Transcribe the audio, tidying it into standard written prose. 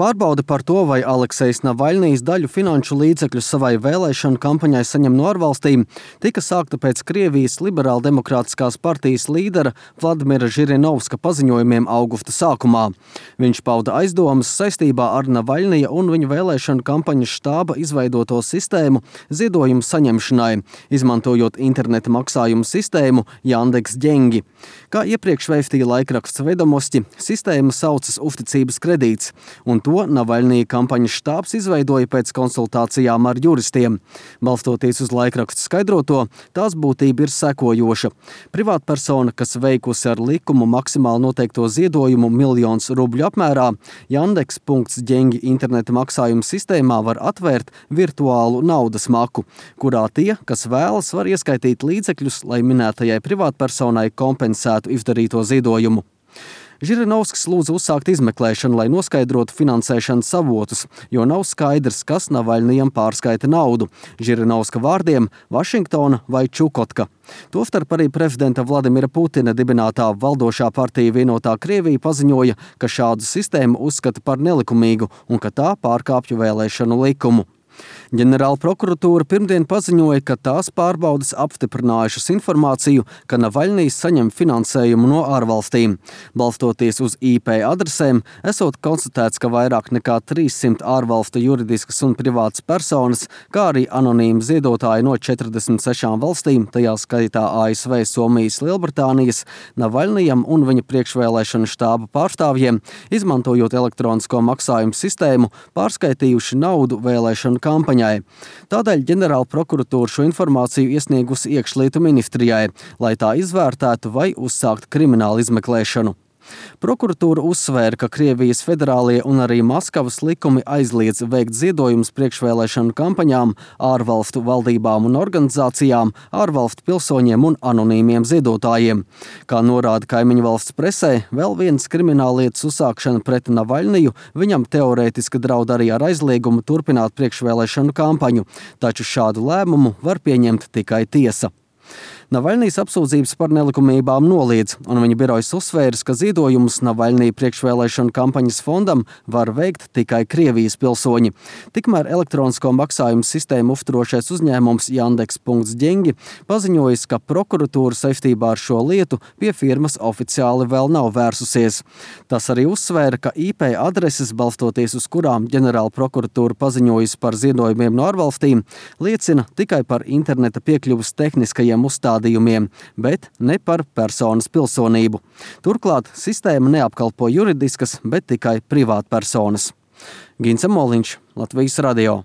Pārbaude par to, vai Aleksejs Navaļnijs daļu finanšu līdzekļu savai vēlēšanu kampaņai saņem no ārvalstīm, tika sākta pēc Krievijas Liberāldemokrātiskās partijas līdera Vladimira Žirinovska paziņojumiem augusta sākumā. Viņš pauda aizdomas saistībā ar Navaļnija un viņa vēlēšanu kampaņas štāba izveidoto sistēmu ziedojumu saņemšanai, izmantojot interneta maksājumu sistēmu Jandeks Ģengi. Kā iepriekš vēstīja laikraksts Vedomosti, sistēma saucas uzticības kredīts, un to Navaļnija kampaņas štābs izveidoja pēc konsultācijām ar juristiem. Balstoties uz laikrakstu skaidroto, tās būtība ir sekojoša. Privātpersona, kas veikusi ar likumu maksimāli noteikto ziedojumu 1 000 000 rubļu apmērā, Jandeks.Ģengi interneta maksājuma sistēmā var atvērt virtuālu naudas maku, kurā tie, kas vēlas, var ieskaitīt līdzekļus, lai minētajai privātpersonai kompensētu izdarīto ziedojumu. Žirinovskis lūdza uzsākt izmeklēšanu, lai noskaidrotu finansēšanas avotus, jo nav skaidrs, kas Navaļnijam pārskaita naudu. Žirinovska vārdiem – Vašingtona vai Čukotka. Tostarp arī prezidenta Vladimira Putina dibinātā valdošā partija Vienotā Krievija paziņoja, ka šādu sistēmu uzskata par nelikumīgu un ka tā pārkāpju vēlēšanu likumu. Ģenerāla prokuratūra pirmdien paziņoja, ka tās pārbaudes apstiprinājušas informāciju, ka Navaļnijs saņem finansējumu no ārvalstīm. Balstoties uz IP adresēm, esot konstatēts, ka vairāk nekā 300 ārvalstu juridiskas un privātas personas, kā arī anonīmi ziedotāji no 46 valstīm, tajā skaitā ASV, Somijas, Lielbritānijas, Navaļnijam un viņa priekšvēlēšanu štāba pārstāvjiem, izmantojot elektronisko maksājumu sistēmu, pārskaitījuši naudu vēlēšanu kampaņai. Tādēļ ģenerāla prokuratūra šo informāciju iesniegusi Iekšlietu ministrijai, lai tā izvērtētu vai uzsākt kriminālu izmeklēšanu. Prokuratūra uzsvēra, ka Krievijas federālie un arī Maskavas likumi aizliedz veikt ziedojumus priekšvēlēšanu kampaņām, ārvalstu valdībām un organizācijām, ārvalstu pilsoņiem un anonīmiem ziedotājiem. Kā norāda kaimiņu valsts presē, vēl viens krimināllietas uzsākšana pret Navaļniju viņam teorētiski draud arī ar aizliegumu turpināt priekšvēlēšanu kampaņu, taču šādu lēmumu var pieņemt tikai tiesa. Navaļnijs apsūdzības par nelikumībām noliedz, un viņa birojs uzsvērs, ka ziedojumus Navaļnija priekšvēlēšanu kampaņas fondam var veikt tikai Krievijas pilsoņi. Tikmēr elektronisko maksājumu sistēmu uzturošais uzņēmums Jandeks.Ģengi paziņojis, ka prokuratūra saistībā ar šo lietu pie firmas oficiāli vēl nav vērsusies. Tas arī uzsvēra, ka IP adreses, balstoties uz kurām ģenerāla prokuratūra paziņojusi par ziedojumiem no ārvalstīm, liecina tikai par interneta piekļuvas tehniskajiem uzstādījumiem, bet ne par personas pilsonību. Turklāt sistēma neapkalpo juridiskas, bet tikai privātpersonas. Gince Moliņš, Latvijas radio.